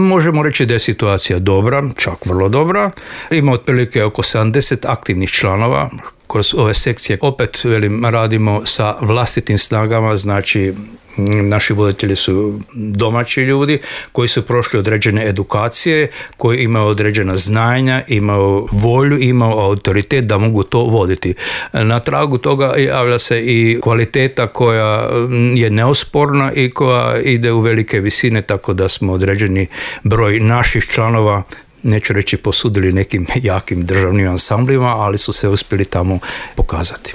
možemo reći da je situacija dobra, čak vrlo dobra. Ima otprilike oko 70 aktivnih članova. Kroz ove sekcije opet radimo sa vlastitim snagama, znači naši voditelji su domaći ljudi koji su prošli određene edukacije, koji imaju određena znanja, imaju volju, imaju autoritet da mogu to voditi. Na tragu toga javlja se i kvaliteta koja je neosporna i koja ide u velike visine, tako da smo određeni broj naših članova, neću reći posudili nekim jakim državnim ansamblima, ali su se uspjeli tamo pokazati.